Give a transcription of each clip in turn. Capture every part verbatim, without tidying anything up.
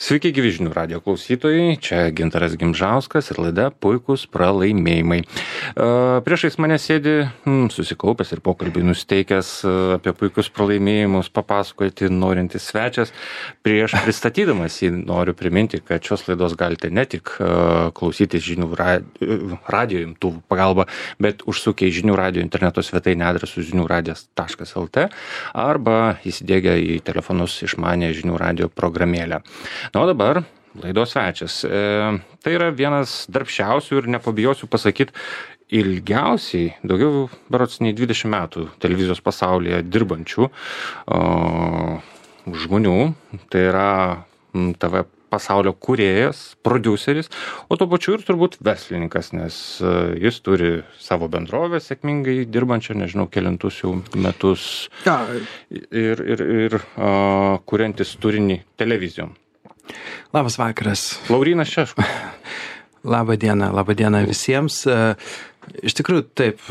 Sveiki, gyvi žinių radijo klausytojai, čia Gintaras Gimžauskas ir laida Puikūs pralaimėjimai. Priešais mane sėdi mm, susikaupęs ir pokalbį nusteikęs apie puikius pralaimėjimus papasakoti norintis svečias. Prieš pristatydamas jį noriu priminti, kad šios laidos galite ne tik klausytis žinių radijo imtuvų pagalba, bet užsukę į žinių radijo interneto svetainę adresu žinių radijas taškas lt arba įsidėgę į telefonus išmanę žinių radijo programėlę. Na, o dabar laidos svečias. E, tai yra vienas darbščiausių ir nepabijosiu pasakyti ilgiausiai, daugiau berods nei dvidešimt metų televizijos pasaulyje dirbančių o, žmonių. Tai yra T V pasaulio kūrėjas, prodiuseris, o tuo pačiu ir turbūt verslininkas, nes jis turi savo bendrovę sėkmingai dirbančią, nežinau, kelintus jau metus ja. ir, ir, ir uh, kuriantis turinį televizijom. Labas vakaras. Laurynas Šeškus. Labą dieną, labą dieną visiems. Iš tikrųjų, taip,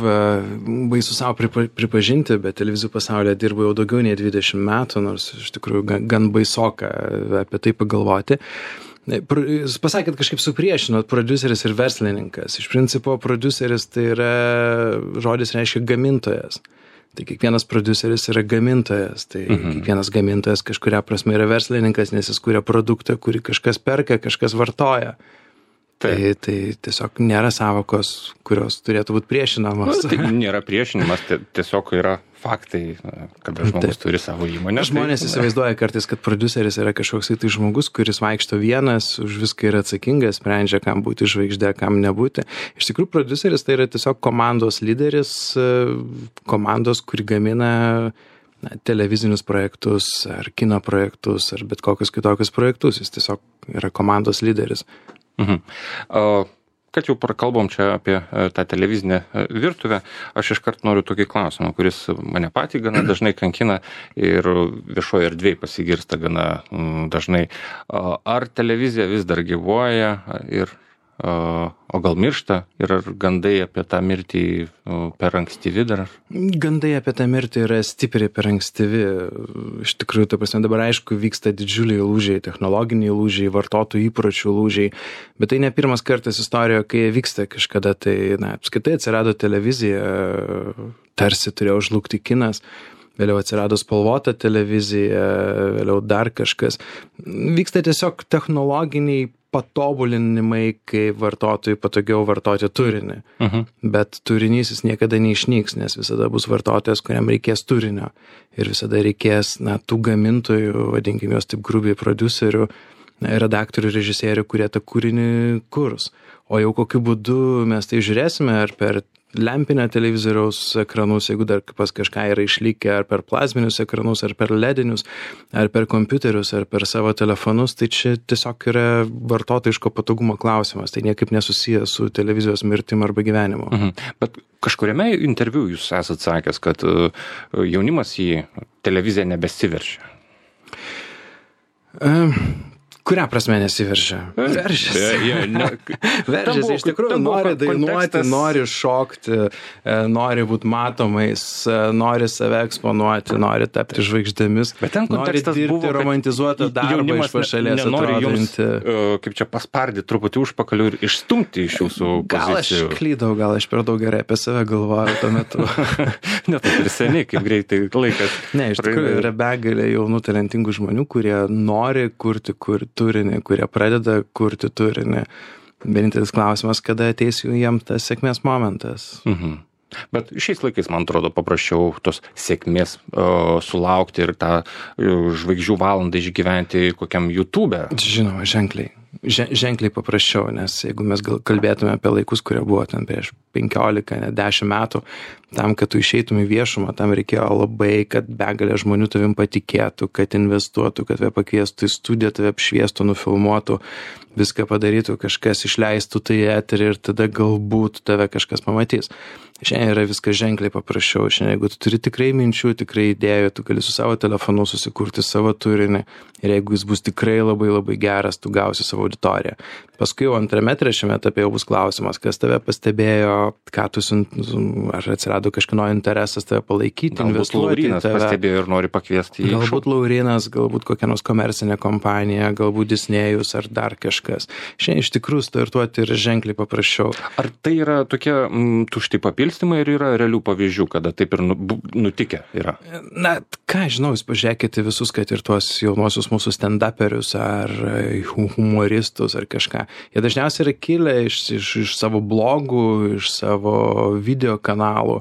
baisu savo pripa, pripažinti, bet televizijų pasaulyje dirbu jau daugiau nei dvidešimt metų, nors iš tikrųjų gan, gan baisoka apie tai pagalvoti. Jūs pasakėt, kažkaip supriešinot prodiuseris ir verslininkas. Iš principo, prodiuseris tai yra, žodis reiškia gamintojas. Tai kiekvienas prodiuseris yra gamintojas, tai mhm. kiekvienas gamintojas kažkuria prasme yra verslininkas, nes jis kuria produktą, kurį kažkas perka, kažkas vartoja. Tai, tai tiesiog nėra savokos, kurios turėtų būti priešinamos. Na, tai nėra priešinimas, tai tiesiog yra faktai, kada žmogus Taip. Turi savo įmonę. Žmonės tai, įsivaizduoja kartais, kad prodiuseris yra kažkoks tai žmogus, kuris vaikšto vienas, už viską yra atsakingas, sprendžia, kam būti žvaigždė, kam nebūti. Iš tikrųjų, prodiuseris tai yra tiesiog komandos lyderis, komandos, kuri gamina na, televizinius projektus, ar kino projektus, ar bet kokius kitokius projektus. Jis tiesiog yra komandos lyderis. Mhm. O, kad jau prakalbom čia apie tą televizinę virtuvę, aš iškart noriu tokį klausimą, kuris mane patį gana dažnai kankina ir viešoje erdvėje pasigirsta gana dažnai. Ar televizija vis dar gyvuoja ir o gal miršta ir ar gandai apie tą mirtį per ankstyvi dar? Gandai apie tą mirtį yra stipriai per ankstyvi. Iš tikrųjų, ta prasme, dabar aišku vyksta didžiuliai lūžiai, technologiniai lūžiai, vartotojų įpročių lūžiai, bet tai ne pirmas kartas istorijoje, kai vyksta kažkada, tai, na, apskritai atsirado televizija, tarsi turėjo žlugti kinas. Vėliau atsirado spalvota televizija, vėliau dar kažkas. Vyksta tiesiog technologiniai patobulinimai, kai vartotojai patogiau vartoti turinį. Uh-huh. Bet turinys jis niekada neišnyks, nes visada bus vartotojas, kuriam reikės turinio. Ir visada reikės, na, tų gamintojų, vadinkim juos taip grubiai, prodiuserių, redaktorių, režisierių, kurie tą kūrinį kurs. O jau kokiu būdu mes tai žiūrėsime, ar per lempinę televizoriaus ekranus, jeigu dar pas kažką yra išlikę, ar per plazminius ekranus, ar per ledinius, ar per kompiuterius, ar per savo telefonus, tai čia tiesiog yra vartotojiško patogumo klausimas, tai niekaip nesusijęs su televizijos mirtim arba gyvenimu. Mhm. Bet kažkuriame interviu jūs esat sakęs, kad jaunimas į televiziją nebesiveršia. Um. Kurią prasme nesiveržia? Veržiasi. Veržiasi, iš tikrųjų nori dainuoti, nori šokti, nori būti matomais, nori save eksponuoti, nori tapti žvaigždėmis, nori dirbti buvo, romantizuotą darbą iš pašalės atrodinti. Kaip čia paspardyti truputį užpakalių ir išstumti iš jūsų gal pozicijų. Gal aš klydau, gal aš per daug gerai apie save galvoju tuo metu. Ne, tai ir seniai, kaip greitai laikas. Ne, iš tikrųjų yra begalė jaunų talentingų žmonių, kurie nori kurti, kurti turinį, kurie pradeda kurti turinį. Vienintelis klausimas, kada ateis jiems tas sėkmės momentas. Mhm. Bet šiais laikais, man atrodo, paprasčiau tos sėkmės o, sulaukti ir tą žvaigždžių valandą išgyventi kokiam YouTube. Žinoma, ženkliai. Ženkliai paprasčiau, nes jeigu mes gal kalbėtume apie laikus, kurie buvo ten prieš penkiolika, ne dešimt metų, tam, kad tu išeitum į viešumą, tam reikėjo labai, kad begalė žmonių tavim patikėtų, kad investuotų, kad tave pakviestų į studiją, tave apšviestų, nufilmuotų, viską padarytų, kažkas išleistų tai eterį ir tada galbūt tave kažkas pamatys. Šiandien yra viskas ženkliai paprasčiau. Šiandien, jeigu tu turi tikrai minčių, tikrai idėjų, tu gali su savo telefonu susikurti savo turinį ir jeigu jis bus tikrai labai labai geras, tu gausi savo savo auditoriją. Paskui jau antrame, trečiame etape jau bus klausimas, kas tave pastebėjo, ką tu, ar atsirado kažkino interesas tave palaikyti, galbūt investuoti. Laurynas tave. Pastebėjo ir nori pakviesti į Galbūt Laurynas, galbūt kokia nors komercinė kompanija, galbūt Disnėjus ar dar kažkas. Šiandien iš tikrųjų startuoti yra ženkliai paprasčiau. Ar tai yra tokie m, tušti papilstymai ir yra realių pavyzdžių, kada taip ir nu, nutikę yra? Na, ką žinau, jūs pažiūrėkite visus, kad ir tuos jaunuosius mūsų stand-uperius ar humoristus ar kažką. Jie dažniausiai yra kilę iš, iš, iš savo blogų, iš savo video kanalų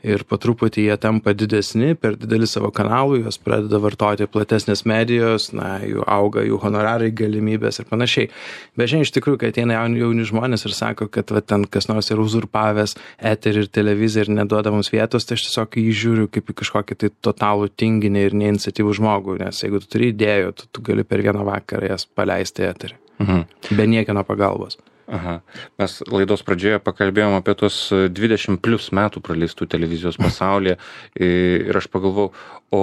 ir po truputį jie tampa didesni, per didelį savo kanalų, juos pradeda vartoti platesnės medijos, na, jų auga, jų honorarai, galimybės ir panašiai. Bet šiandien iš tikrųjų, kai ateina jauni, jauni žmonės ir sako, kad va, ten kas nors yra uzurpavęs eterį ir televiziją ir neduoda mums vietos, tai aš tiesiog jį žiūriu kaip į kažkokį tai totalų tinginį ir neiniciatyvų žmogų, nes jeigu tu turi idėjų, tu, tu gali per vieną vakarą jas paleisti eterį. Mhm. Be niekieno pagalbos. Aha. Mes laidos pradžioje pakalbėjom apie tos dvidešimt plus metų praleistų televizijos pasaulyje ir aš pagalvojau, o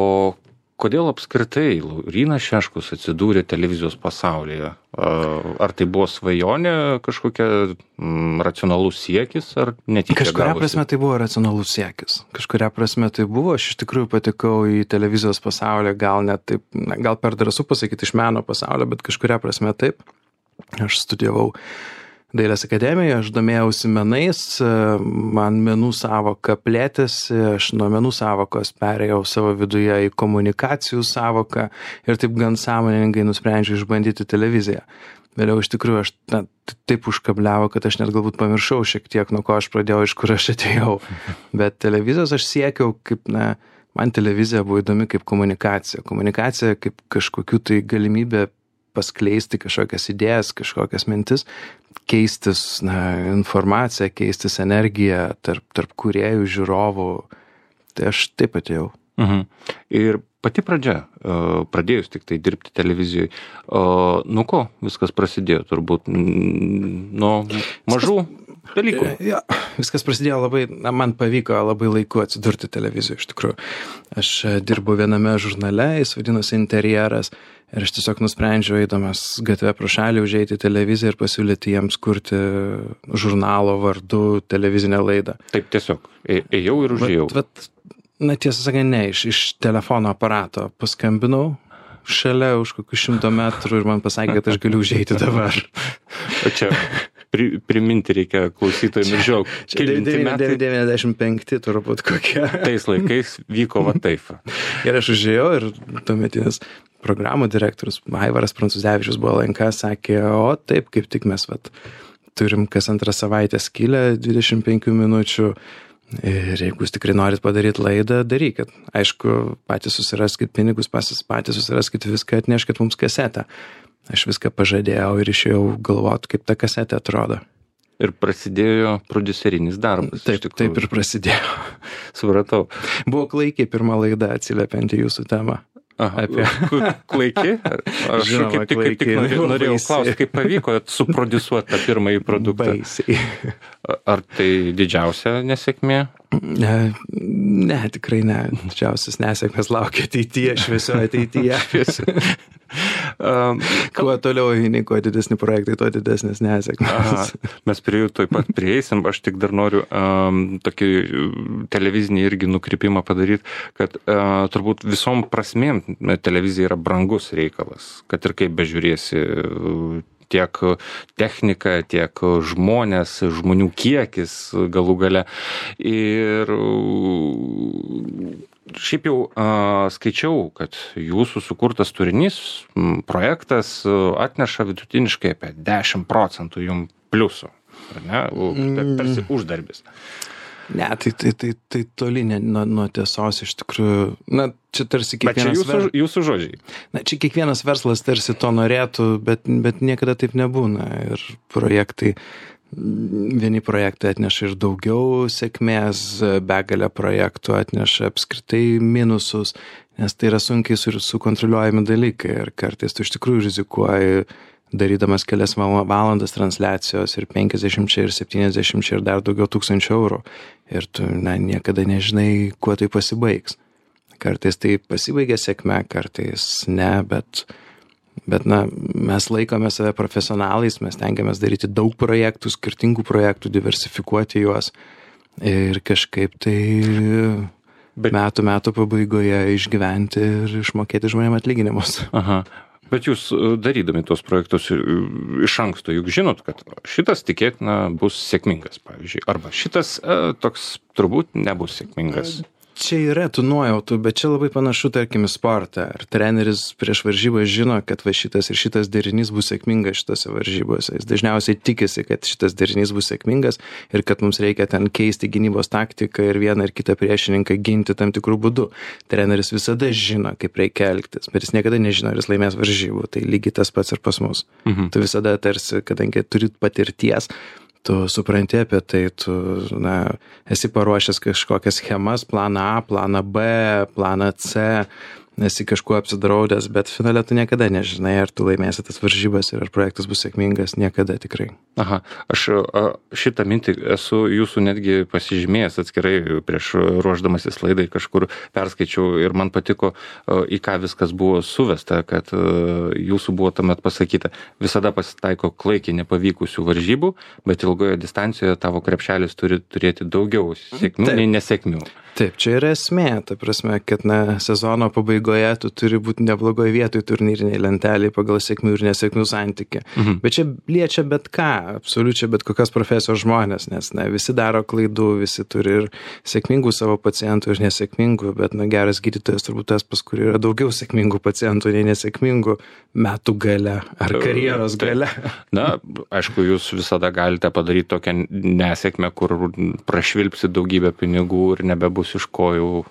kodėl apskritai Laurynas Šeškus atsidūrė televizijos pasaulyje? Ar tai buvo svajonė, kažkokia m, racionalus siekis, ar netyčia Kažkuria gavosi? prasme tai buvo racionalus siekis. Kažkuria prasme tai buvo. Aš iš tikrųjų patekau į televizijos pasaulį, gal net taip, gal per drąsu pasakyti iš meno pasaulio, bet kažkuria prasme taip. Aš studijavau Dailės akademijoje, aš domėjausi menais, man menų savoka plėtėsi, aš nuo menų savokos perėjau savo viduje į komunikacijų savoką ir taip gan sąmoningai nusprendžiau išbandyti televiziją. Vėliau iš tikrųjų aš na, taip užkabliavo, kad aš net galbūt pamiršau šiek tiek, nuo ko aš pradėjau, iš kur aš atėjau. Bet televizijos aš siekiau, kaip, na, man televizija buvo įdomi kaip komunikacija. Komunikacija kaip kažkokių tai galimybė paskleisti kažkokias idėjas, kažkokias mintis, keistis na, informaciją, keistis energiją tarp, tarp kūrėjų, žiūrovų. Tai aš taip atėjau. Mhm. Ir pati pradžia, pradėjus tik tai dirbti televizijoje, nuo ko viskas prasidėjo turbūt? Nuo mažų dalykų? Ja, viskas prasidėjo labai, na, man pavyko labai laiku atsidurti televizijoje iš tikrųjų. Aš dirbu viename žurnale, jis vadinosi Interjeras, ir aš tiesiog nusprendžiau, eidamas gatvę pro šalį, užeiti į televiziją ir pasiūlyti jiems kurti žurnalo vardu televizinę laidą. Taip tiesiog, ėjau ir užėjau. Vat, vat, na tiesą sakant, ne, iš, iš telefono aparato paskambinau šalia už kokių šimto metrų ir man pasakė, kad aš galiu užeiti dabar. O čia pri, priminti reikia klausytojams ir žiaug. devyniasdešimt penkti turbūt kokie. Tais laikais vyko va taip. Ir aš užėjau ir tuometinis programų direktorius Aivaras Prancūzevičius buvo L N K, sakė, o taip, kaip tik mes vat, turim kas antrą savaitę skylę dvidešimt penkių minučių ir jeigu jūs tikrai norit padaryti laidą, darykit. Aišku, patys susiraskit pinigus, patys susiraskit viską, atneškit mums kasetę. Aš viską pažadėjau ir išėjau galvoti, kaip ta kasetė atrodo. Ir prasidėjo prodiuserinis darbas. Taip, taip ir prasidėjo. Supratau. Buvo klaikiai pirma laida atsiliepianti jūsų temą. Aha, apie... klaiki? Aš Žinoma, kaip tik, kaip tik norėjau, norėjau klausti, kaip pavyko suprodiusuoti tą pirmąjį produktą. Baisiai. Ar tai didžiausia nesėkmė? Ne, ne, tikrai ne. Didžiausias nesėkmės laukia ateityje, šviesioje ateityje. um, kuo toliau eini, kuo didesni projektai, tuo didesnės nesėkmės. Aha, mes prie jų taip pat prieisim. Aš tik dar noriu um, tokį televizinį irgi nukrypimą padaryti, kad uh, turbūt visom prasmėm televizija yra brangus reikalas, kad ir kaip bežiūrėsi tiek technika, tiek žmonės, žmonių kiekis galų gale. Ir šiaip jau a, skaičiau, kad jūsų sukurtas turinys, projektas atneša vidutiniškai apie dešimt procentų jum pliusų, ar ne? Tarsi uždarbis. Ne, tai, tai, tai, tai toli ne, nuo, nuo tiesos iš tikrųjų. Na, čia tarsi kiekvienas... Bet čia jūsų, ver... jūsų žodžiai. Na, čia kiekvienas verslas tarsi to norėtų, bet, bet niekada taip nebūna. Ir projektai, vieni projektai atneša ir daugiau sėkmės, begalė projektų atneša apskritai minusus, nes tai yra sunkiai sukontroliuojami dalykai ir kartais tu iš tikrųjų rizikuoji darydamas kelias valandas transliacijos ir penkiasdešimt ir septyniasdešimt ir dar daugiau tūkstančių eurų. Ir tu na, niekada nežinai, kuo tai pasibaigs. Kartais tai pasibaigia sėkme, kartais ne, bet Bet, na, mes laikome save profesionalais, mes tengiamės daryti daug projektų, skirtingų projektų, diversifikuoti juos ir kažkaip tai Bet... metų metų pabaigoje išgyventi ir išmokėti žmonėm atlyginimus. Aha. Bet jūs darydami tuos projektus iš anksto juk žinot, kad šitas tikėtina bus sėkmingas, pavyzdžiui, arba šitas e, toks turbūt nebus sėkmingas. Čia yra tų nuojautų, bet čia labai panašu, tarkim, į sportą. Ar treneris prieš varžybą žino, kad va šitas ir šitas derinys bus sėkmingas šitose varžybose. Jis dažniausiai tikisi, kad šitas derinys bus sėkmingas ir kad mums reikia ten keisti gynybos taktiką ir vieną ir kitą priešininką ginti tam tikrų būdų. Treneris visada žino, kaip reikia elgtis, bet jis niekada nežino, ar jis laimės varžybų. Tai lygiai tas pats ir pas mus. Mhm. Tu visada tarsi, kadangi turit patirties, tu supranti apie tai, tu, na, esi paruošęs kažkokias schemas, planą A, planą B, planą C, esi kažkuo apsidraudęs, bet finale tu niekada nežinai, ar tu laimėsi tas varžybas ir ar projektas bus sėkmingas, niekada tikrai. Aha, aš šitą mintį esu jūsų netgi pasižymėjęs atskirai prieš ruošdamasis laidai, kažkur perskaičiau ir man patiko, į ką viskas buvo suvesta, kad jūsų buvo tuomet pasakyta, visada pasitaiko klaikiai nepavykusių varžybų, bet ilgoje distancijoje tavo krepšelis turi turėti daugiau sėkmių nei nesėkmių. Taip, čia yra esmė, ta prasme, kad na, sezono pabaigoje tu turi būti neblogoje vietoje turnyriniai lentelėje pagal sėkmių ir nesėkmių santykį. Mhm. Bet čia liečia bet ką, absoliučiai bet kokios profesijos žmonės, nes na, visi daro klaidų, visi turi ir sėkmingų savo pacientų ir nesėkmingų, bet na, geras gydytojas turbūt tas, pas kurį yra daugiau sėkmingų pacientų nei nesėkmingų metų gale ar karjeros gale. Na, aišku, jūs visada galite padaryti tokią nesėkmę, kur prašvilpsi daugybę pinigų ir nebebus iš kojų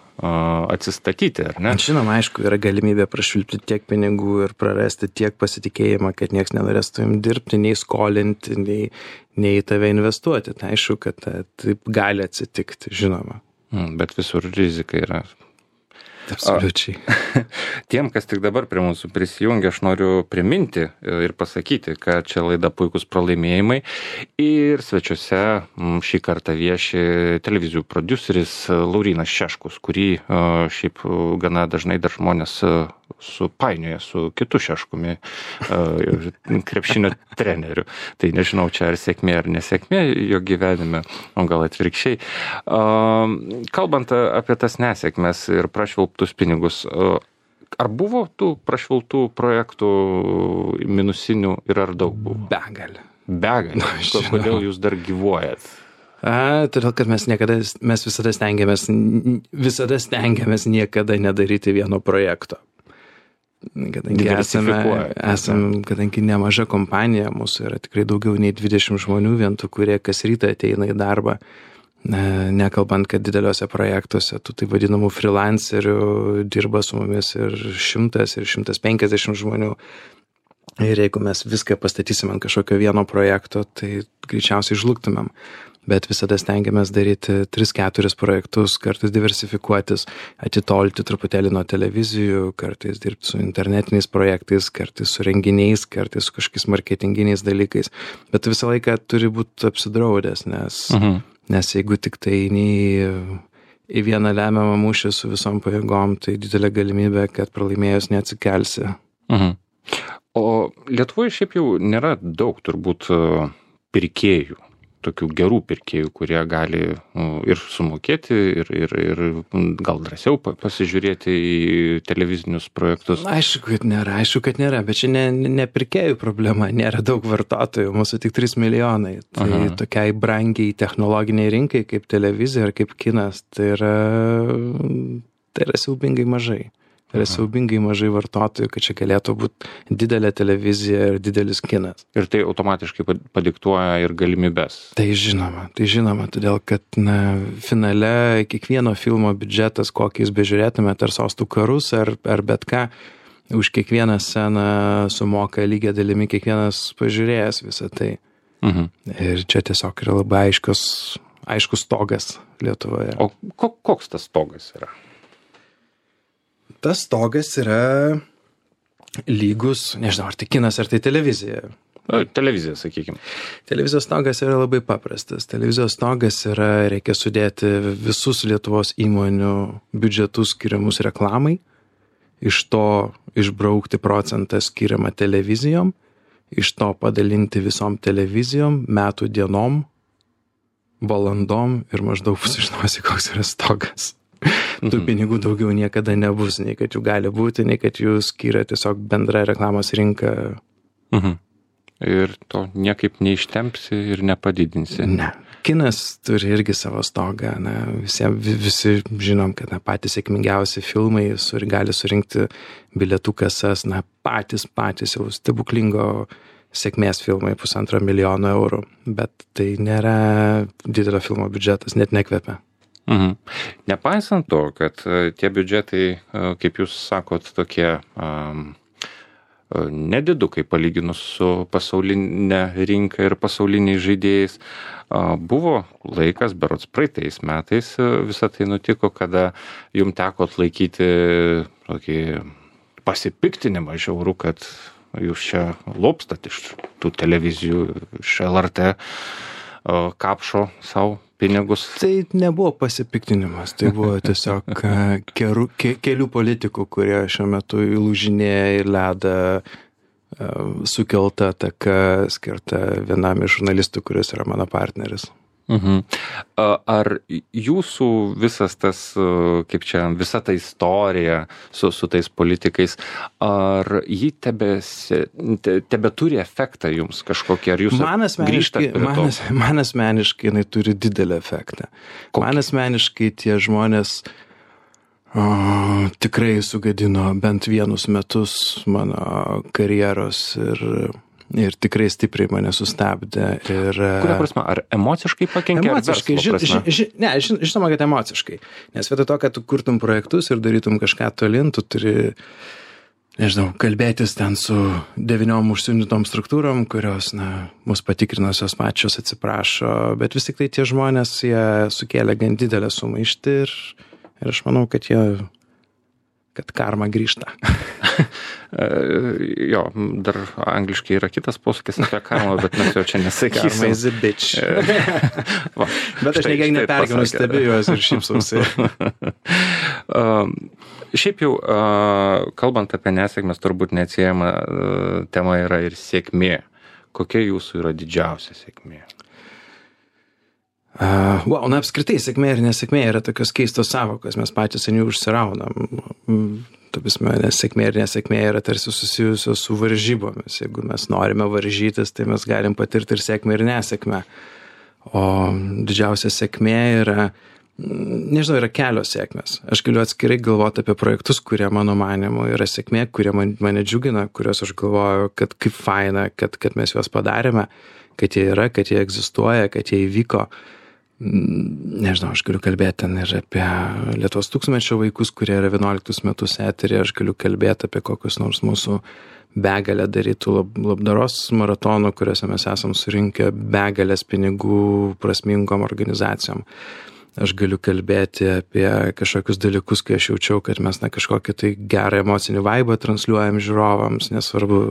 atsistatyti, ar ne? Žinoma, aišku, yra galimybė prašvilpti tiek pinigų ir prarasti tiek pasitikėjimą, kad nieks nenorės su jums dirbti, nei skolinti, nei, nei tave investuoti. Tai aišku, kad taip gali atsitikti, žinoma. Bet visur rizika yra. Absoliučiai. Tiem, kas tik dabar prie mūsų prisijungia, aš noriu priminti ir pasakyti, kad čia laida Puikūs pralaimėjimai ir svečiuose šį kartą vieši televizijų prodiuseris Laurynas Šeškus, kurį šiaip gana dažnai dar žmonės supainioja su kitu Šeškumi, krepšinio treneriu. Tai nežinau, čia ar sėkmė ar nesėkmė jo gyvenime, o gal atvirkščiai. Kalbant apie tas nesėkmes ir prašvilptus pinigus, ar buvo tų prašvilptų projektų minusinių ir ar daug buvo? Begalė. Begalė. Kodėl jūs dar gyvuojat? A, todėl, kad mes niekada, mes visada stengiamės, visada stengiamės niekada nedaryti vieno projekto. Kadangi esame, esame, kadangi nemaža kompanija, mūsų yra tikrai daugiau nei dvidešimt žmonių, vien tų, kurie kas rytą ateina į darbą, nekalbant, kad dideliuose projektuose, tų tai vadinamų freelancerių dirba su mumis ir šimtas ir šimtas penkiasdešimt žmonių. Ir jeigu mes viską pastatysime ant kažkokio vieno projekto, tai greičiausiai žlugtumėm. Bet visada stengiamės daryti tris keturis projektus, kartais diversifikuotis, atitolti truputėlį nuo televizijų, kartais dirbti su internetiniais projektais, kartais su renginiais, kartais su kažkokiais marketinginiais dalykais. Bet visą laiką turi būti apsidraudęs, nes, uh-huh. nes jeigu tik tai eini į vieną lemiamą mūšį su visom pajėgom, tai didelė galimybė, kad pralaimėjus neatsikelsi. Uh-huh. O Lietuvoje šiaip jau nėra daug turbūt pirkėjų. Tokių gerų pirkėjų, kurie gali ir sumokėti, ir, ir, ir gal drąsiau pasižiūrėti į televizinius projektus. Aišku, kad nėra, aišku, kad nėra, bet čia ne, ne pirkėjų problema, nėra daug vartotojų, mūsų tik trys milijonai. Tai Aha. tokiai brangiai technologiniai rinkai, kaip televizija ar kaip kinas, tai yra, tai yra siaubingai mažai. Tai yra siaubingai mažai vartotojų, kad čia galėtų būti didelė televizija ir didelis kinas. Ir tai automatiškai padiktuoja ir galimybes. Tai žinoma, tai žinoma, todėl kad na, finale kiekvieno filmo biudžetas, kokį jūs bežiūrėtumėte, ar Sostų karus, ar, ar bet ką, už kiekvieną sceną sumoka lygia dalimi kiekvienas pažiūrėjęs visą tai. Mhm. Ir čia tiesiog yra labai aiškus, aiškus stogas Lietuvoje. O koks tas stogas yra? Tas stogas yra lygus, nežinau, ar tai kinas, ar tai televizija. Televizija, sakykime. Televizijos stogas yra labai paprastas. Televizijos stogas yra, reikia sudėti visus Lietuvos įmonių biudžetus skiriamus reklamai iš to išbraukti procentą skiriamą televizijom, iš to padalinti visom televizijom, metų dienom, valandom ir maždaug sužinosi, koks yra stogas. Mhm. Tų pinigų daugiau niekada nebus, nei kad jų gali būti, nei kad jų skiria tiesiog bendra reklamos rinka. Mhm. Ir to niekaip neištempsi ir nepadidinsi. Ne. Kinas turi irgi savo stogą. Na, visi, visi žinom, kad na, patys sėkmingiausi filmai sur, gali surinkti bilietų kasas, na, patys, patys jau stebuklingo sėkmės filmai pusantro milijono eurų. Bet tai nėra didelio filmo biudžetas, net nekvepia. Mhm. Nepaisant to, kad tie biudžetai, kaip jūs sakot, tokie um, nedidukai palyginus su pasaulinė rinka ir pasauliniais žaidėjais, buvo laikas, berods praeitais metais visą tai nutiko, kada jum teko atlaikyti tokį pasipiktinimą žiaurų, kad jūs čia lopstat iš tų televizijų, iš L R T kapšo savo pinigus. Tai nebuvo pasipiktinimas, tai buvo tiesiog keru, ke, kelių politikų, kurie šiuo metu įlūžinėja į ledą sukelta ataka skirta vienam iš žurnalistų, kuris yra mano partneris. Mhm. Ar jūsų visas tas, kaip čia, visa ta istorija su, su tais politikais, ar ji tebe, tebe turi efektą jums kažkokį, ar jūs grįžtate prie to? Man, man asmeniškai jinai turi didelį efektą. Kokį? Man asmeniškai tie žmonės o, tikrai sugadino bent vienus metus mano karjeros ir ir tikrai stipriai mane sustabdė. Ir, kuria prasme? Ar emociškai pakenkė? Emociškai, ži, ži, ži, ne, ži, žinoma, kad emociškai. Nes vietoj to, kad tu kurtum projektus ir darytum kažką tolin, tu turi, nežinau, kalbėtis ten su devyniom užsiundytom struktūrom, kurios, na, mus patikrinusios pačios atsiprašo, bet vis tik tai tie žmonės, jie sukėlė gan didelę sumaištį ir, ir aš manau, kad jie kad karma grįžta. Jo, dar angliškai yra kitas posakis apie karmą, bet mes jau čia nesakysim. Karma is a bitch. Va, bet aš nekiek nepergyvenu, stebiu juos ir šypsausi. uh, šiaip jau, uh, kalbant apie nesėkmės, turbūt neatsiejama uh, tema yra ir sėkmė. Kokia jūsų yra didžiausia sėkmė? Uh, wow, na apskritai, sėkmė ir nesėkmė yra tokios keistos savokos, mes patys ant jų užsiraunam. Tapisme, nes sėkmė ir nesėkmė yra tarsi susijusios su varžybomis. Jeigu mes norime varžytis, tai mes galim patirti ir sėkmę ir nesėkmę. O didžiausia sėkmė yra, nežinau, yra kelios sėkmės. Aš galiu atskirai galvoti apie projektus, kurie mano manimu yra sėkmė, kurie man, mane džiugina, kuriuos aš galvoju, kad kaip faina, kad, kad mes juos padarėme, kad jie yra, kad jie egzistuoja, kad jie įvyko. Nežinau, aš galiu kalbėti ten ir apie Lietuvos tūkstantmečio vaikus, kurie yra vienuoliktus metus eterį, aš galiu kalbėti apie kokius nors mūsų begalę darytų lab, labdaros maratonų, kuriuose mes esam surinkę begalės pinigų prasmingom organizacijom. Aš galiu kalbėti apie kažkokius dalykus, kai aš jaučiau, kad mes na, kažkokį tai gerą emocinį vaibą transliuojam žiūrovams, nesvarbu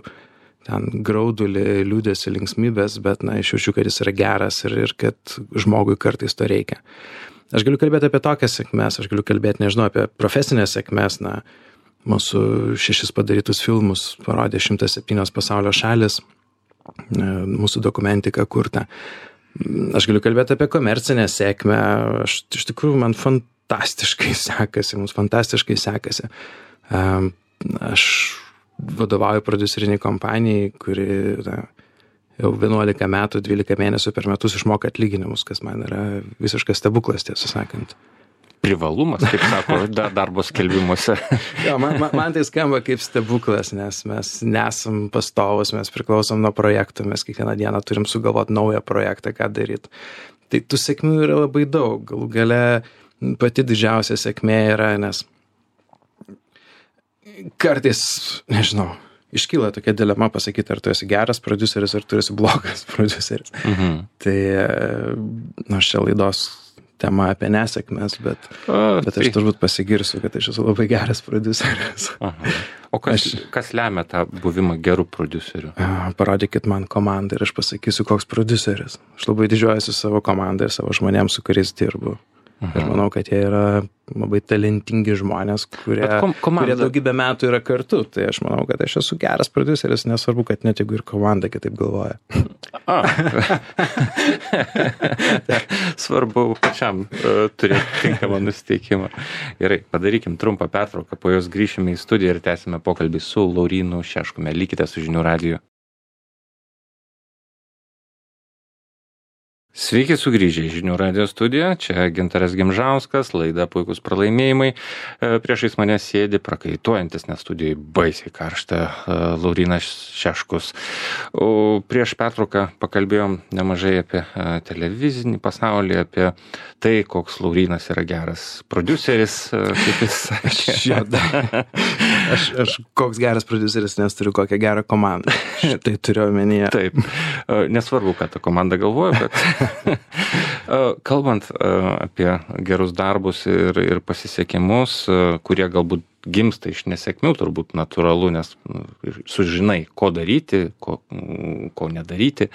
ten graudulį, liūdėsi, linksmybės, bet, na, iš jaučiu, kad jis yra geras ir, ir kad žmogui kartais to reikia. Aš galiu kalbėti apie tokias sėkmės, aš galiu kalbėti, nežinau, apie profesinės sėkmės, na, mūsų šešis padarytus filmus parodė šimtas septynios pasaulio šalis, mūsų dokumentika kurta. Aš galiu kalbėti apie komercinę sėkmę, aš iš tikrųjų man fantastiškai sekasi, mums fantastiškai sekasi. Aš vadovauju prodiuseriniai kompanijai, kuri na, jau vienuolika metų, dvylika mėnesių per metus išmoka atlyginimus, kas man yra visiškas stebuklas, tiesą sakant. Privalumas, kaip sako, darbo skelbimuose. Jo, man, man, man tai skamba kaip stebuklas, nes mes nesam pastovus, mes priklausom nuo projektų, mes kiekvieną dieną turim sugalvoti naują projektą, ką daryti. Tai tų sėkmių yra labai daug. Galų gale pati didžiausia sėkmė yra, nes kartais, nežinau, iškyla tokia dilema pasakyti, ar tu esi geras prodiuseris, ar tu esi blogas prodiuseris. Mhm. Tai, na, šia laidos tema apie nesėkmės, bet, o, bet aš turbūt pasigirsiu, kad aš esu labai geras prodiuseris. Aha. O kas, aš, kas lemia tą buvimą gerų prodiuserių? Parodykit man komandą ir aš pasakysiu, koks prodiuseris. Aš labai didžiuojuosi savo komandą ir savo žmonėms, su kuriais dirbu. Mhm. Ir manau, kad jie yra labai talentingi žmonės, kurie, kom komanda... kurie daugybę metų yra kartu. Tai aš manau, kad aš esu geras prodiuseris, nesvarbu, kad net jeigu ir komanda kitaip galvoja. A. Svarbu pačiam uh, turėti tinkamą nusiteikimą. Gerai, padarykim trumpą pertrauką, po jos grįšime į studiją ir tęsime pokalbį su Laurynu Šeškumi. Likite su Žinių radiju. Sveiki sugrįžę į Žinių radijo studiją, čia Gintaras Gimžauskas, laida Puikūs pralaimėjimai. Priešais mane sėdi prakaituojantis, nes studijai baisiai karšta, Laurynas Šeškus. O prieš pertrauką pakalbėjom nemažai apie televizinį pasaulį, apie tai, koks Laurynas yra geras prodiuseris, kaip jis sakė. Aš, aš koks geras prodiuseris, nes turiu kokią gerą komandą. Tai turiu omenyje. Taip, nesvarbu, ką ta komanda galvoja, bet kalbant apie gerus darbus ir, ir pasisekimus, kurie galbūt gimsta iš nesėkmių, turbūt natūralu, nes sužinai, ko daryti, ko, ko nedaryti.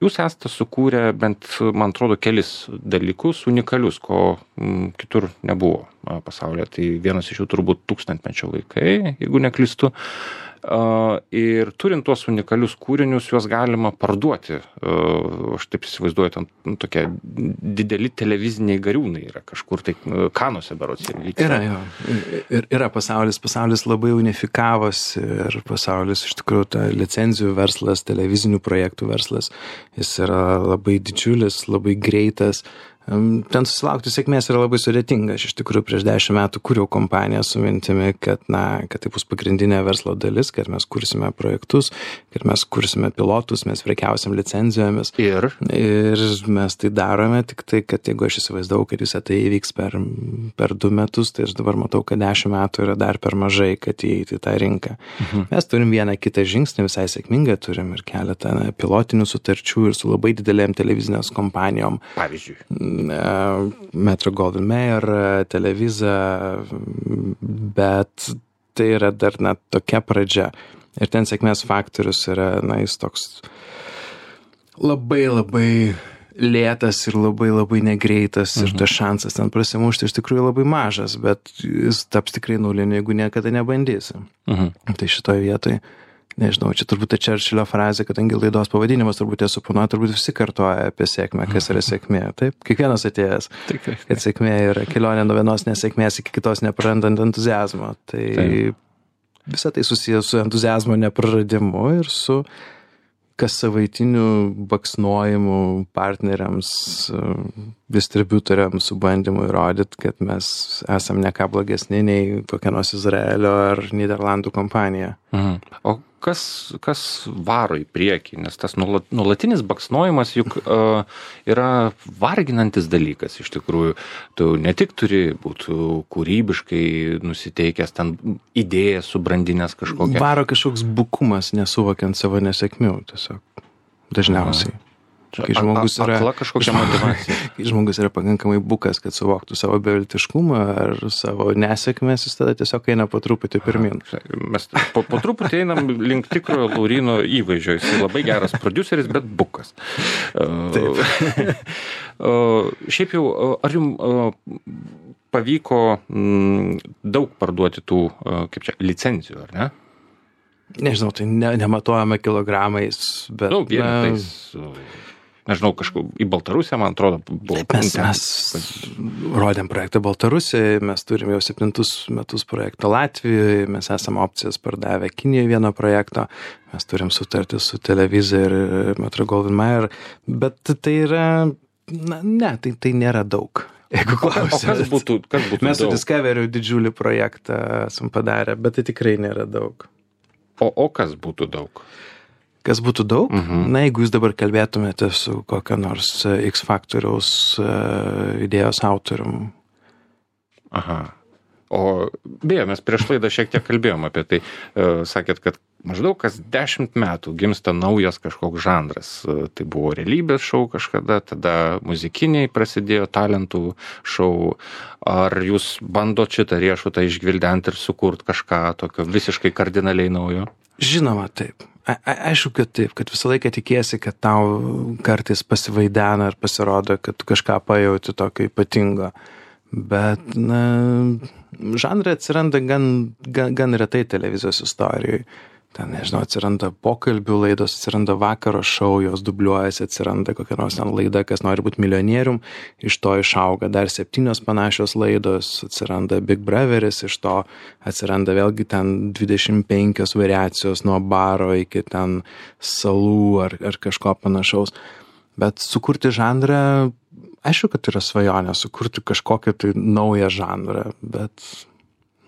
Jūs esate sukūrę bent, man atrodo, kelis dalykus unikalius, ko kitur nebuvo pasaulyje. Tai vienas iš jų turbūt Tūkstantmečio vaikai, jeigu neklystu. Uh, ir turint tuos unikalius kūrinius, juos galima parduoti. Uh, aš taip įsivaizduoju, ten nu, tokie dideli televiziniai gariūnai yra kažkur, tai Kanuose berods ir vyksta. Yra, jo. Ir, yra pasaulis, pasaulis labai unifikavosi ir pasaulis, iš tikrųjų, ta licenzijų verslas, televizinių projektų verslas, jis yra labai didžiulis, labai greitas. Ten susilaukti sėkmės yra labai sudėtinga. Aš iš tikrųjų prieš dešimt metų kūriau kompaniją su mintimi, kad, na, kad tai bus pagrindinė verslo dalis, kad mes kursime projektus, kad mes kursime pilotus, mes prekiausim licencijomis. Ir? Ir mes tai darome, tik tai, kad jeigu aš įsivaizdavau, kad visą tai įvyks per, per du metus, tai aš dabar matau, kad dešimt metų yra dar per mažai, kad įeiti į tą rinką. Mhm. Mes turim vieną kitą žingsnį, visai sėkmingą, turim ir keletą na, pilotinių sutarčių ir su labai didelėm televizinės kompanijom. Pavyzdžiui. Metro-Goldwyn-Mayer, Televisa, bet tai yra dar na, tokia pradžia. Ir ten sėkmės faktorius yra, na, jis toks labai labai lėtas ir labai labai negreitas mhm. ir tas šansas ten prasimušti iš tikrųjų labai mažas, bet jis taps tikrai nuliniu, jeigu niekada nebandysi. Mhm. Tai šitoj vietoj nežinau, čia turbūt ta Čerčilio frazė, kadangi laidos pavadinimas turbūt esu suponuoja, turbūt visi kartoja apie sėkmę, kas yra sėkmė. Taip, kiekvienas atėjęs, Tikrai. Kad sėkmė yra kelionė nuo vienos nesėkmės iki kitos neprarandant entuziazmo. Tai Taip. Visa tai susijęs su entuziazmo nepraradimu ir su kas savaitiniu baksnojimu partneriams, distributoriams, su bandymu įrodyti, kad mes esam ne ką blogesni nei kokia nors Izraelio ar Niderlandų kompanija. Mhm. O kas, kas varo į priekį? Nes tas nuolatinis baksnojimas juk uh, yra varginantis dalykas iš tikrųjų. Tu ne tik turi būti kūrybiškai nusiteikęs, ten idėją subrandinęs kažkokią. Varo kažkoks bukumas, nesuvokiant savo nesėkmių tiesiog dažniausiai. Aha. Kai žmogus yra, kai žmogus yra pakankamai bukas, kad suvoktų savo beviltiškumą ar savo nesėkmės, jis tada tiesiog eina po truputį pirmin. Mes po, po truputį einam link tikrojo Lauryno įvaizdžio. Jis labai geras prodiuseris, bet bukas. Taip. Šiaip jau, ar jums pavyko daug parduoti tų, kaip čia, licencijų, ar ne? Nežinau, tai ne, nematuojame kilogramais, bet... Nu, vienetais... Nežinau, kažkur į Baltarusiją, man atrodo, buvo... Mes, mes rodėm projektą Baltarusijoje, mes turim jau septintus metus projektą Latvijoje, mes esam opcijas pardavę Kinijoje vieno projekto, mes turim sutartį su Televisa ir Metro-Goldwyn-Mayer, bet tai yra... Na, ne, tai, tai nėra daug. Jeigu klausit. O kas būtų, kas būtų mes daug? Su Discovery didžiulį projektą esam padarę, bet tai tikrai nėra daug. O, o kas būtų daug? Kas būtų daug? Mhm. Na, jeigu jūs dabar kalbėtumėte su kokio nors X Factoriaus uh, idėjos autorium. Aha. O beje, mes prieš laidą šiek tiek kalbėjom apie tai. Uh, sakėt, kad maždaug kas dešimt metų gimsta naujas kažkoks žanras. Uh, tai buvo realybės šou kažkada, tada muzikiniai prasidėjo talentų šou. Ar jūs bandot šitą riešutą išgvildenti ir sukurt kažką tokio visiškai kardinaliai naujo? Žinoma, taip. A, a, aišku, kad taip, kad visą laiką tikėsi, kad tau kartais pasivaidena ar pasirodo, kad tu kažką pajauti tokio ypatingo. Bet, na, žanrai atsiranda gan, gan, gan retai televizijos istorijoje. Ten, nežinau, atsiranda pokalbių laidos, atsiranda vakaro šou, jos dubliuojasi, atsiranda kokia nors ten laida, kas nori būti milijonierium, iš to išauga dar septynios panašios laidos, atsiranda Big Brotheris, iš to atsiranda vėlgi ten dvidešimt penkios variacijos nuo baro iki ten salų ar, ar kažko panašaus. Bet sukurti žanrą, aišku, kad yra svajonė, sukurti kažkokią tai naują žanrą, bet,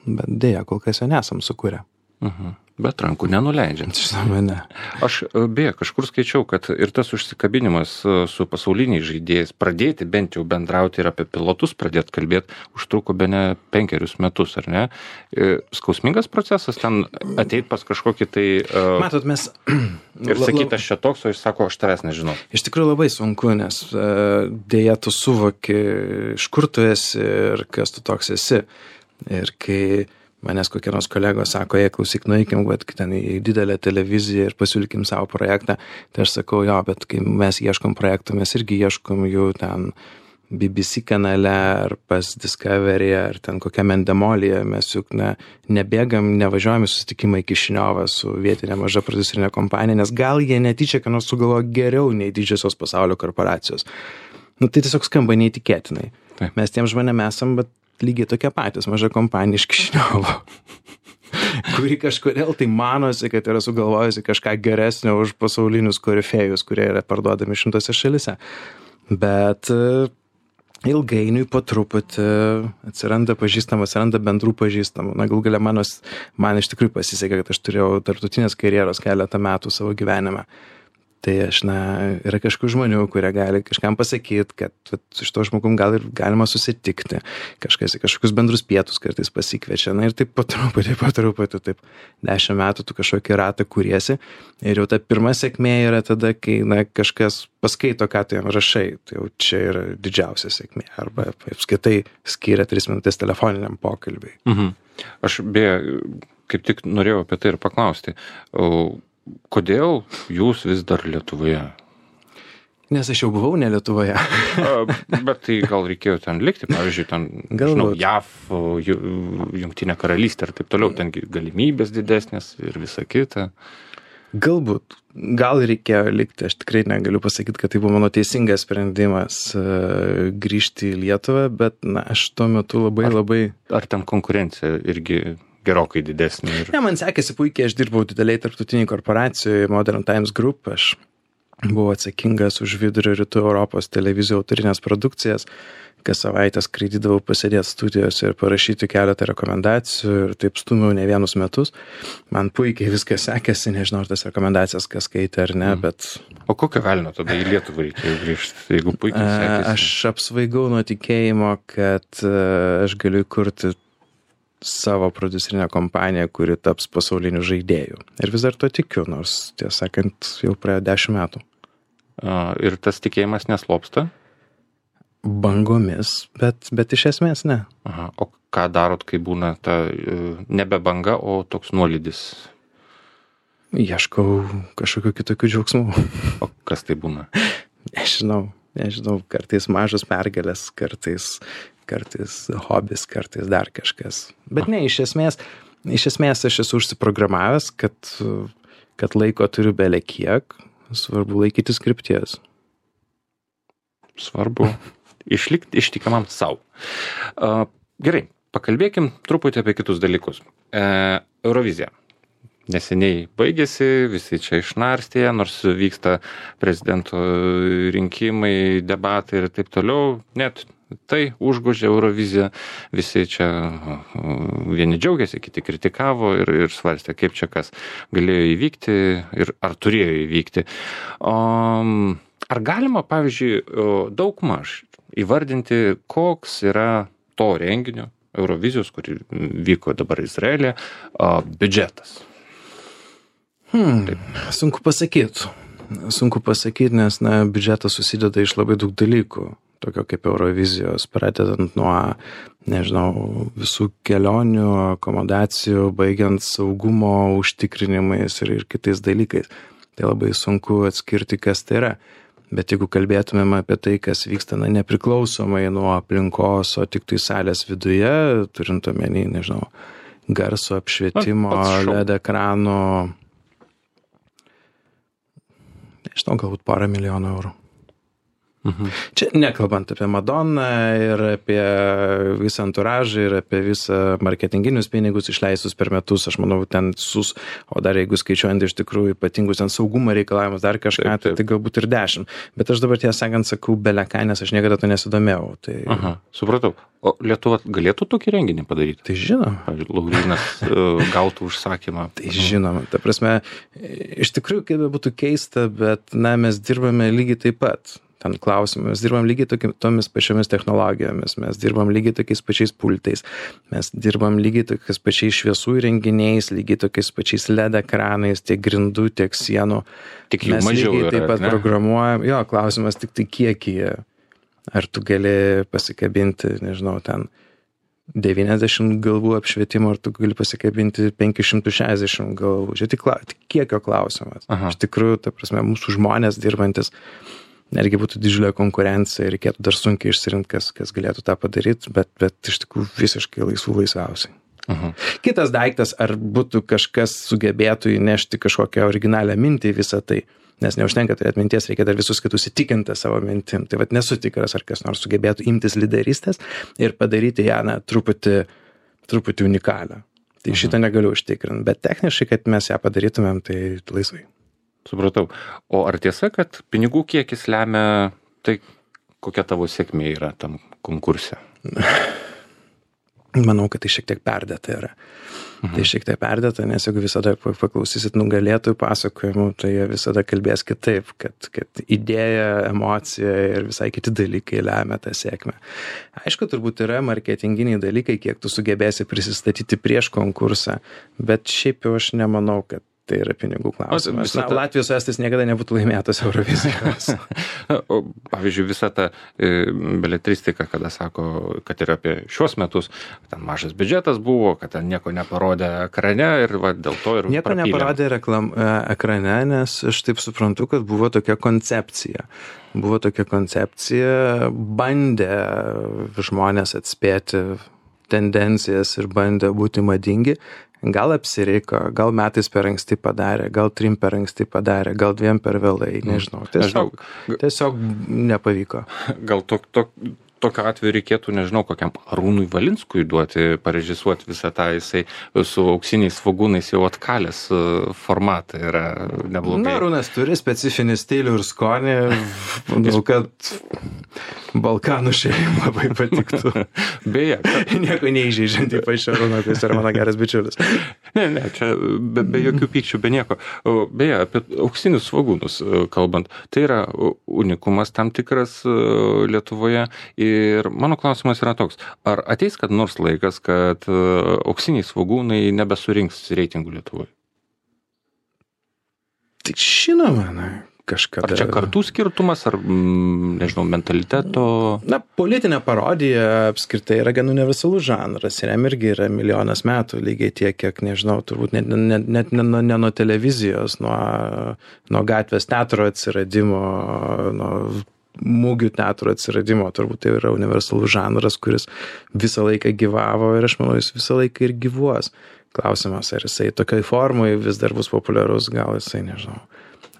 bet dėja, kol kas jo nesam sukūrę. Mhm. Bet rankų nenuleidžiam. Žinoma, ne. Aš beje kažkur skaičiau, kad ir tas užsikabinimas su pasauliniais žaidėjais, pradėti bent jau bendrauti ir apie pilotus pradėti kalbėti, užtruko bene penkerius metus, ar ne? Skausmingas procesas ten ateit pas kažkokį tai... Uh, Matot, mes... Ir sakyti, aš čia toks, o jis sako, aš tavęs nežinau. Iš tikrųjų labai sunku, nes uh, dėja tu suvoki, iš kur tu esi ir kas tu toks esi. Ir kai... Manęs kokie nors kolegos sako, jei klausyk, nueikim, bet ten į didelę televiziją ir pasiūlykim savo projektą, tai aš sakau, jo, bet kai mes ieškom projektų, mes irgi ieškom jų ten B B C kanale ar pas Discovery ar ten kokiam Endemolyje, mes juk ne, nebėgam, nevažiuojam į susitikimą į Kišiniovą su vietinė maža prodiuserinė kompanija, nes gal jie netyčia, ką nors sugalvojo geriau nei didžiosios pasaulio korporacijos. Nu, tai tiesiog skamba neįtikėtinai. Taip. Mes tiem žmonėm esam, bet lygiai tokie patys, maža kompanija iš Kišiniovo, kuri kažkodėl tai manosi, kad yra sugalvojusi kažką geresnio už pasaulinius korifėjus, kurie yra parduodami šimtose šalise. Bet ilgainiui po truputį atsiranda pažįstamų, atsiranda bendrų pažįstamų. Na, gal galia manos, man iš tikrųjų pasisekė, kad aš turėjau tarptautinės karjeros keletą metų savo gyvenime. Tai aš, na, yra kažkokių žmonių, kurie gali kažkam pasakyti, kad vat, su šito žmogum gal ir galima susitikti. Kažkas į kažkokius bendrus pietus kartais pasikviečia. Na ir taip po truputį, po truputį, taip dešimt metų tu kažkokį ratą kuriesi. Ir jau ta pirma sėkmė yra tada, kai, na, kažkas paskaito, ką tu jam rašai. Tai jau čia yra didžiausia sėkmė. Arba apskritai skiria tris minutės telefoniniam pokalbiui. Mhm. Aš beje, kaip tik norėjau apie tai ir paklausti. O kodėl jūs vis dar Lietuvoje? Nes aš jau buvau ne Lietuvoje. Bet tai gal reikėjo ten likti, pavyzdžiui, ten, žinau, J A V, Jungtinė karalystė ir taip toliau, ten galimybės didesnės ir visa kita. Galbūt, gal reikėjo likti, aš tikrai negaliu pasakyti, kad tai buvo mano teisingas sprendimas uh, grįžti į Lietuvą, bet na, aš tuo metu labai ar, labai... Ar ten konkurencija irgi... gerokai didesnė. Ir... Ne, man sekėsi puikiai, aš dirbau dideliai tarptautiniai korporacijoje Modern Times Group, aš buvau atsakingas už vidurio rytų Europos televizijų autorinės produkcijas, kas savaitę skraidydavau pasėdėti studijose ir parašyti keletą rekomendacijų ir taip stumiau ne vienus metus. Man puikiai viskas sekėsi, nežinau, ar tas rekomendacijas kas skaitė ar ne, mm. bet... O kokią galino tada į Lietuvą reikėjo grįžti, jeigu puikiai sekėsi? Aš apsvaigau nuo tikėjimo, kad aš galiu kurti savo prodiuserinę kompaniją, kuri taps pasauliniu žaidėju. Ir vis dar to tikiu, nors, tiesą sakant, jau praėjo dešimt metų. A, ir tas tikėjimas neslopsta? Bangomis, bet, bet iš esmės ne. Aha. O ką darot, kai būna ta nebe banga, o toks nuolydis? Ieškau kažkokių kitokių džiaugsmų. O kas tai būna? Nežinau, nežinau, kartais mažos pergalės, kartais... kartais hobis, kartais dar kažkas. Bet ne, iš esmės, iš esmės aš esu užsiprogramavęs, kad, kad laiko turiu belė kiek, svarbu laikytis krypties. Svarbu išlikti ištikimam savo. Uh, gerai, pakalbėkim truputį apie kitus dalykus. Uh, Eurovizija. Neseniai baigėsi, visi čia išnarstė, nors vyksta prezidento rinkimai, debatai ir taip toliau, net tai užgožė Euroviziją, visi čia vieni džiaugiasi, kiti kritikavo ir, ir svarstė, kaip čia kas galėjo įvykti ir ar turėjo įvykti. Um, ar galima, pavyzdžiui, daugmaž įvardinti, koks yra to renginio, Eurovizijos, kuri vyko dabar Izraelyje, biudžetas? Hmm, sunku pasakyti. Sunku pasakyti, nes na, biudžetas susideda iš labai daug dalykų. tokio kaip Eurovizijos, pradedant nuo, nežinau, visų kelionių, akomodacijų, baigiant saugumo užtikrinimais ir, ir kitais dalykais. Tai labai sunku atskirti, kas tai yra. Bet jeigu kalbėtumėm apie tai, kas vyksta na, nepriklausomai nuo aplinkos, o tik tai salės viduje, turint omeny, nežinau, garso apšvietimo, L E D ekrano, nežinau, galbūt porą milijonų eurų. Mhm. Čia nekalbant apie Madonną ir apie visą anturažą ir apie visą marketinginius pinigus išleistus per metus, aš manau, ten sus, o dar jeigu skaičiuojant iš tikrųjų ypatingus ten saugumo reikalavimus, dar kažką, taip, taip. Tai, tai galbūt ir dešimt. Bet aš dabar tiesą sakant sakau beleką, nes aš niekada to nesidomėjau. Tai... Aha, supratau. O Lietuva galėtų tokį renginį padaryti? Tai žinoma. Pavyzdžiui, Laurynas gautų užsakymą. Tai žinoma. Ta prasme, iš tikrųjų, kaip būtų keista, bet na, mes dirbame lygiai taip pat. Ten klausimai. Mes dirbam lygiai toki, tomis pačiomis technologijomis, mes dirbam lygiai tokiais pačiais pultais, mes dirbam lygiai tokiais pačiais šviesų įrenginiais, lygiai tokiais pačiais L E D ekranais, tiek grindų, tiek sienų. Tik jų mes mažiau lygiai yra, taip pat ne? Programuojam. Jo, klausimas tik tai kiekį. Ar tu gali pasikabinti, nežinau, ten devyniasdešimt galvų apšvietimo, ar tu gali pasikabinti penki šimtai šešiasdešimt galvų. Čia tik, tik kiekio klausimas. Aha. Iš tikrųjų, ta prasme, mūsų žmonės dirbantis netgi būtų didžiulė konkurencija ir reikėtų dar sunkiai išsirinkti, kas, kas galėtų tą padaryti, bet, bet iš tikrųjų visiškai laisvų laisviausiai. Uh-huh. Kitas daiktas, ar būtų kažkas sugebėtų įnešti kažkokią originalią mintį į visą tai, nes neužtenka turėti minties, reikia dar visus kitus įtikinti savo mintim. Tai vat nesu tikras, ar kas nors sugebėtų imtis lyderystės ir padaryti ją na, truputį, truputį unikalią. Tai uh-huh. šitą negaliu užtikrinti, bet techniškai, kad mes ją padarytumėm, tai laisvai. Supratau. O ar tiesa, kad pinigų kiekis lemia tai, kokia tavo sėkmė yra tam konkurse? Manau, kad tai šiek tiek perdėta yra. Mhm. Tai šiek tiek perdėta, nes jeigu visada paklausysit nugalėtojų pasakojimų, tai jie visada kalbės kitaip, kad, kad idėja, emocija ir visai kiti dalykai lemia tą sėkmę. Aišku, turbūt yra marketinginiai dalykai, kiek tu sugebėsi prisistatyti prieš konkursą, bet šiaip jau aš nemanau, kad tai yra pinigų klausimas. Na, ta... Latvijos Estais niekada nebūtų laimėtos Eurovizijos. O, pavyzdžiui, visa ta e, beletristika, kada sako, kad ir apie šios metus, ten mažas biudžetas buvo, kad ten nieko neparodė ekrane ir va, dėl to ir nieko prapylėm. Neparodė reklam, ekrane, nes aš taip suprantu, kad buvo tokia koncepcija. Buvo tokia koncepcija, bandė žmonės atspėti tendencijas ir bandė būti madingi. Gal apsireiko, gal metais per anksti padarė, gal trim per anksti padarė, gal dviem per vėlai, nežinau. Tiesiog, tiesiog nepavyko. Gal to, to, tokio atveju reikėtų, nežinau, kokiam Arūnui Valinskui duoti, parežisuoti visą tą, jisai su auksiniais svogūnais jau atkalęs formatą yra neblogai. Na, Arūnas turi specifinį stilių ir skonį, manau, kad Balkanų šeimai labai patiktų. Beje. Nieko neįžeidžiant, ypač Arūną, kuris yra mano geras bičiulis. Ne, ne, čia be, be jokių pykčių, be nieko. Beje, apie auksinius svogūnus kalbant, tai yra unikumas tam tikras Lietuvoje. Ir mano klausimas yra toks, ar ateis kad nors laikas, kad auksiniai svogūnai nebesurinks reitingų Lietuvoje? Tai žinoma, na, kažkada. Ar čia kartų skirtumas, ar, mm, nežinau, mentaliteto? Na, politinė parodija apskritai yra gan universalus žanras ir jam irgi yra milijonas metų, lygiai tiek, kiek, nežinau, turbūt net, net, net ne, ne, ne nuo televizijos, nuo, nuo gatvės teatro atsiradimo, nuo mūgių teatro atsiradimo, turbūt tai yra universalus žanras, kuris visą laiką gyvavo ir aš manau, jis visą laiką ir gyvuos. Klausimas, ar jisai tokiai formai vis dar bus populiarus, gal jisai, nežinau,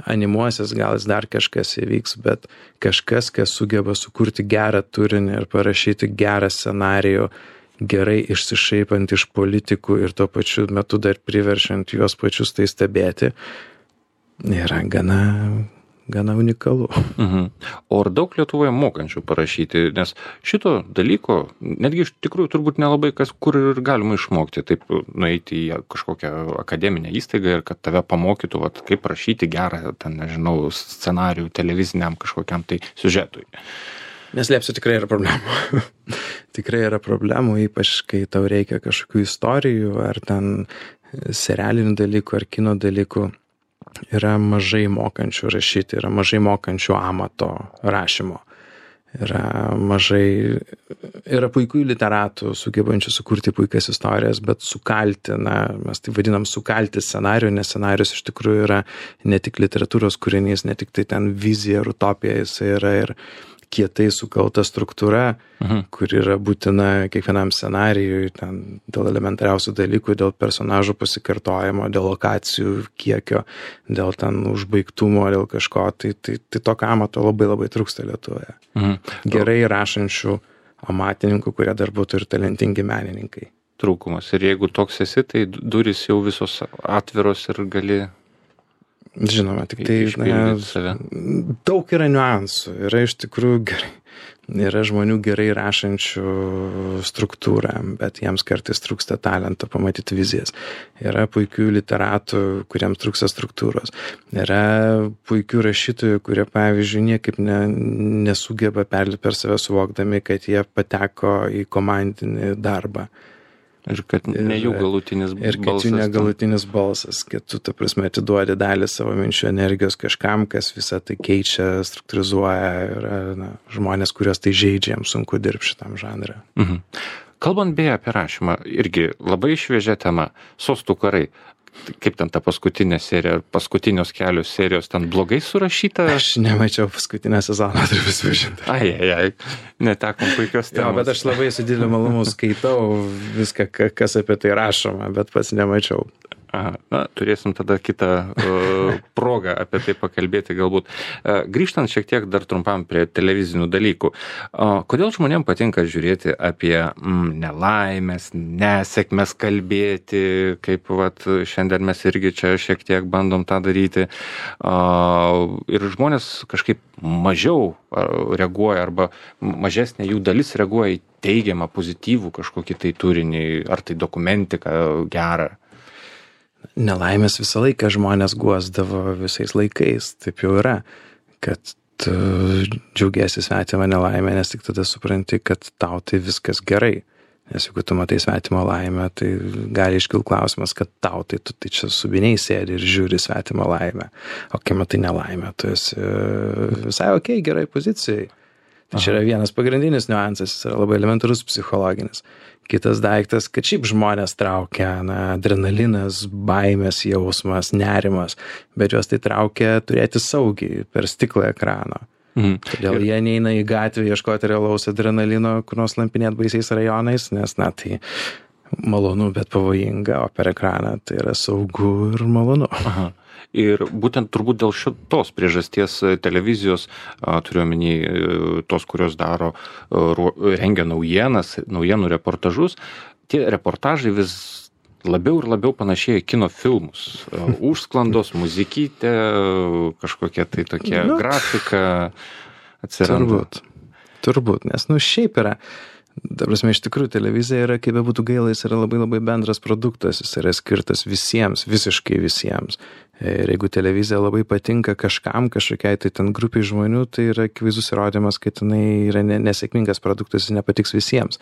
animuosis, gal jis dar kažkas įvyks, bet kažkas, kas sugeba sukurti gerą turinį ir parašyti gerą scenarijų, gerai išsišaipant iš politikų ir tuo pačiu metu dar priveršiant juos pačius tai stebėti, yra gana... gana unikalu. Mhm. O ar daug Lietuvoje mokančių parašyti, nes šito dalyko, netgi iš tikrųjų turbūt nelabai kas, kur ir galima išmokti, taip nueiti į kažkokią akademinę įstaigą ir kad tave pamokytų, vat, kaip rašyti gerą, ten, nežinau, scenarijų televiziniam kažkokiam tai siužetui. Neslėpsiu, tikrai yra problemų. Tikrai yra problemų, ypač kai tau reikia kažkokių istorijų, ar ten serialinių dalykų, ar kino dalykų. Yra mažai mokančių rašyti, yra mažai mokančių amato rašymo. yra mažai, yra puikių literatų, sugebančių sukurti puikias istorijas, bet sukalti, na, mes tai vadinam sukalti scenarijų, nes scenarijus iš tikrųjų yra ne tik literatūros kūrinys, ne tik tai ten vizija ar utopija, jis yra ir kietai sukalta struktūra, mhm. kur yra būtina kiekvienam scenarijui, ten dėl elementariausių dalykų, dėl personažų pasikartojimo, dėl lokacijų kiekio, dėl ten užbaigtumo, dėl kažko, tai, tai, tai tokio amato labai labai trūksta Lietuvoje. Mhm. Gerai rašančių amatininkų, kurie dar būtų ir talentingi menininkai. Trūkumas. Ir jeigu toks esi, tai durys jau visos atviros ir gali... Žinoma, tik tai na, daug yra niuansų, yra iš tikrųjų gerai, yra žmonių gerai rašančių struktūrą, bet jiems kartais trūksta talento pamatyti vizijas. Yra puikių literatų, kuriems trūksta struktūros. Yra puikių rašytojų, kurie, pavyzdžiui, niekaip ne, nesugeba perlipti per save suvokdami, kad jie pateko į komandinį darbą. Ir kad ne jų galutinis balsas. Ir kad jų negalutinis balsas, kad tu, ta prasme, atiduodi dalį savo minčių energijos kažkam, kas visą tai keičia, struktūrizuoja ir na, žmonės, kurios tai žaidžia, jiems sunku dirbti šitam žanrą. Mhm. Kalbant beje apie rašymą, irgi labai šviežia tema, Sostų karai. Kaip ten ta paskutinė serija, paskutinios kelios serijos ten blogai surašyta? Aš nemačiau paskutinę sezoną, turiu visvažinti. Ai, ai, ai, netekom puikios temos. Jo, bet aš labai su dideliu malonumu skaitau viską, kas apie tai rašoma, bet pats nemačiau. Aha, na, turėsim tada kitą uh, progą apie tai pakalbėti galbūt. Uh, grįžtant šiek tiek dar trumpam prie televizinių dalykų. Uh, kodėl žmonėms patinka žiūrėti apie mm, nelaimės, nesėkmes kalbėti, kaip vat, šiandien mes irgi čia šiek tiek bandom tą daryti. Uh, ir žmonės kažkaip mažiau reaguoja arba mažesnė jų dalis reaguoja į teigiamą, pozityvų kažkokį tai turinį, ar tai dokumentiką gerą. Nelaimės visą laiką žmonės guosdavo visais laikais, taip jau yra, kad tu džiaugiesi svetimą nelaimę, nes tik tada supranti, kad tau tai viskas gerai. Nes jeigu tu matai svetimą laimę, tai gali iškilti klausimas, kad tau tai tu tai čia subiniai sėdi ir žiūri svetimą laimę. O kai matai nelaimę, tu esi visai okei, gerai pozicijai. Tai čia yra vienas pagrindinis niuansas, jis yra labai elementarus psichologinis. Kitas daiktas, kad šiaip žmonės traukia na, adrenalinas, baimės jausmas, nerimas, bet juos tai traukia turėti saugiai per stiklą ekrano. Mhm. Todėl ir... jie neina į gatvę ieškoti realaus adrenalino, kur nors lampinėt baisiais rajonais, nes na tai malonu, bet pavojinga, o per ekraną tai yra saugu ir malonu. Aha. Ir būtent turbūt dėl šitos priežasties televizijos, turiu omeny tos, kurios daro, rengia naujienas, naujienų reportažus, tie reportažai vis labiau ir labiau panašėja kino filmus. Užsklandos, muzikytė, kažkokia tai tokia nu, grafika atsiranda. Turbūt, turbūt, nes nu šiaip yra. Ta prasme, iš tikrųjų, televizija yra, kaip bebūtų gaila, jis yra labai labai bendras produktas, jis yra skirtas visiems, visiškai visiems. Ir jeigu televizija labai patinka kažkam, kažkokiai tai ten grupiai žmonių, tai yra akivaizdus įrodymas, kad jinai yra nesėkmingas produktas, jis nepatiks visiems.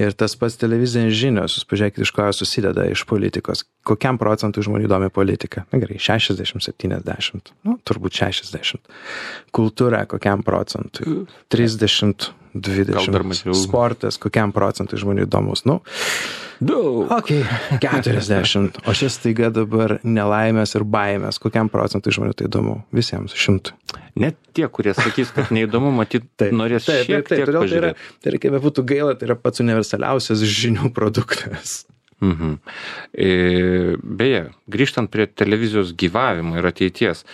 Ir tas pats televizinės žinios, jūs pažiūrėkite, iš ko susideda iš politikos. Kokiam procentui žmonių įdomi politika? Na gerai, šešiasdešimt septyniasdešimt, nu, turbūt šešiasdešimt. Kultūra kokiam procentui? trisdešimt dvidešimt. Sportas kokiam procentui žmonių įdomus? Nu, daug. Ok, keturiasdešimt. O šis staiga dabar nelaimės ir baimės. Kokiam procentui žmonių tai įdomu? Visiems šimtui. Net tie, kurie sakys, kad neįdomu, matyt, taip, norės taip, šiek taip, tiek taip, pažiūrėti. Tai yra, tai yra, kaip būtų gaila, tai yra pats universaliausias žinių produktas. Mhm. E, beje, grįžtant prie televizijos gyvavimo ir ateities,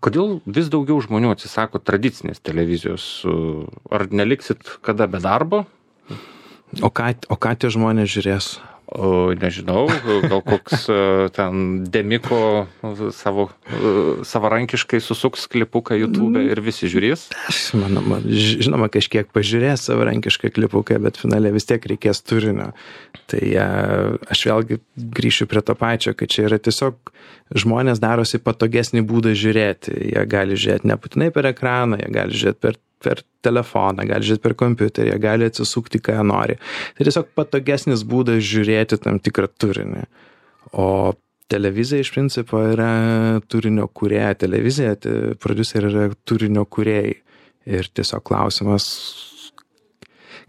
kodėl vis daugiau žmonių atsisako tradicinės televizijos? Ar neliksit kada be darbo? O ką, o ką tie žmonės žiūrės? O, nežinau, gal koks ten Demiko savo, savarankiškai susuks klipuką YouTube ir visi žiūrės? Manoma, žinoma, kažkiek pažiūrės savarankišką klipuką, bet finale vis tiek reikės turinio. Tai aš vėlgi grįšiu prie to pačio, kad čia yra tiesiog žmonės darosi patogesnį būdą žiūrėti. Jie gali žiūrėti nebūtinai per ekraną, jie gali žiūrėti per per telefoną, gali žiūrėti per kompiuterį, jie gali atsisukti, ką jie nori. Tai tiesiog patogesnis būdas žiūrėti tam tikrą turinį. O televizija iš principo yra turinio kūrėja. Televizija, prodiuseriai yra turinio kūrėjai. ir tiesiog klausimas,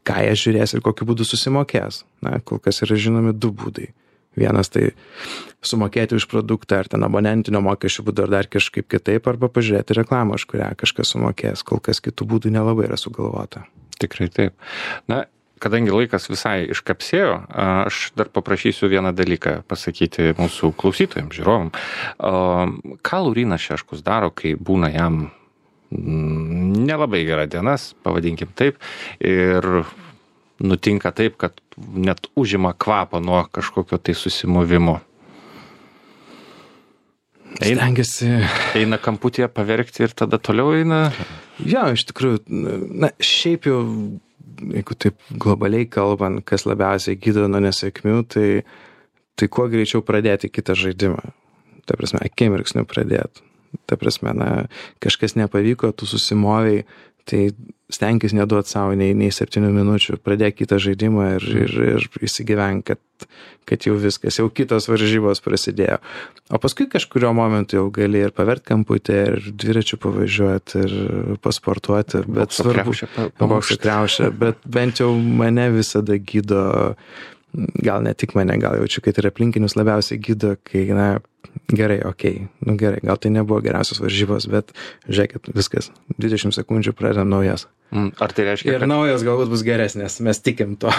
ką jie žiūrės ir kokiu būdu susimokės. Na, kol kas yra žinomi du būdai. Vienas tai sumokėti už produktą ar ten abonentinio mokesčių būdu ar dar kažkaip kitaip, arba pažiūrėti reklamą, už kurią kažkas sumokės. Kol kas kitų būdų nelabai yra sugalvota. Tikrai taip. Na, kadangi laikas visai iškapsėjo, aš dar paprašysiu vieną dalyką pasakyti mūsų klausytojams, žiūrovam. Ką Laurynas Šeškus daro, kai būna jam nelabai gera dienas, pavadinkim taip, ir nutinka taip, kad net užima kvapą nuo kažkokio tai susimovimo. Eina, Stengiasi. Eina kamputėje paverkti ir tada toliau eina? Jo, iš tikrųjų, na, šiaip jau, jeigu taip globaliai kalbant, kas labiausiai gydo nuo nesėkmių, tai, tai kuo greičiau pradėti kitą žaidimą. Ta prasme, akimirksniu pradėti. Ta prasme, na, kažkas nepavyko, tu susimovei, tai stenkis neduot savo nei, nei septynių minučių, pradėk kitą žaidimą ir, ir, ir įsigyvenk, kad, kad jau viskas, jau kitos varžybos prasidėjo. O paskui kažkurio momentu jau gali ir pavert kamputę, ir dviračių pavažiuoti, ir pasportuoti, bet Bokso svarbu, kriaušę bokso kriaušę, bet bent jau mane visada gydo, gal ne tik mane, gal jaučiu, kad ir aplinkinius labiausiai gydo, kai, na, gerai, okei, okay. nu gerai, gal tai nebuvo geriausios varžybos, bet žiūrėkit, viskas, dvidešimt sekundžių pradedam naujas. Ar tai reiškia, ir kad... naujas galbūt bus geresnės, mes tikim to.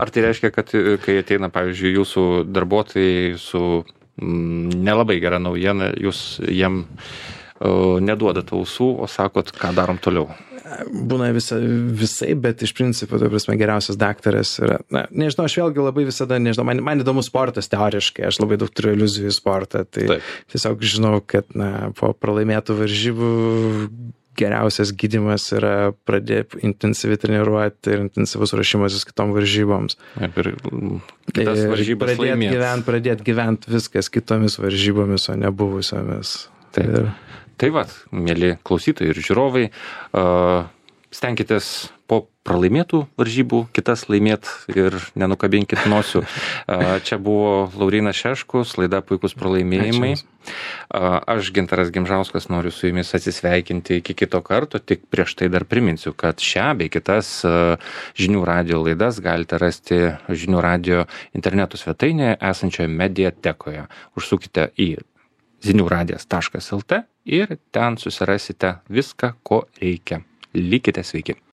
Ar tai reiškia, kad kai ateina, pavyzdžiui, jūsų darbuotojai su mm, nelabai gera naujiena, jūs jiem uh, neduodat ausų, o sakot, ką darom toliau? Būna visa, visai, bet iš principo, tai prasme, geriausias daktaras yra, na, nežinau, aš vėlgi labai visada, nežinau, man, man įdomus sportas teoriškai, aš labai daug turiu iliuzijų į sportą, tai Taip. Tiesiog žinau, kad, na, po pralaimėtų varžybų geriausias gydymas yra pradėti intensyviai treniruoti ir intensyvus ruošimasis kitom varžyboms. Ir kitas varžybas pradėti laimėt. gyvent, pradėti gyventi viskas kitomis varžybomis, o ne buvusiomis. Taip. Ir... Tai va, mėly klausytojai ir žiūrovai, stenkitės po pralaimėtų varžybų kitas laimėt ir nenukabinkit nosių. Čia buvo Laurynas Šeškus, laida Puikus pralaimėjimai. Aš, Gintaras Gimžauskas, noriu su jumis atsisveikinti iki kito karto, tik prieš tai dar priminsiu, kad šią bei kitas Žinių radijo laidas galite rasti Žinių radijo interneto svetainėje esančioje mediatekoje. Užsukite į ziniuradijas taškas lt ir ten susirasite viską, ko reikia. Likite sveiki.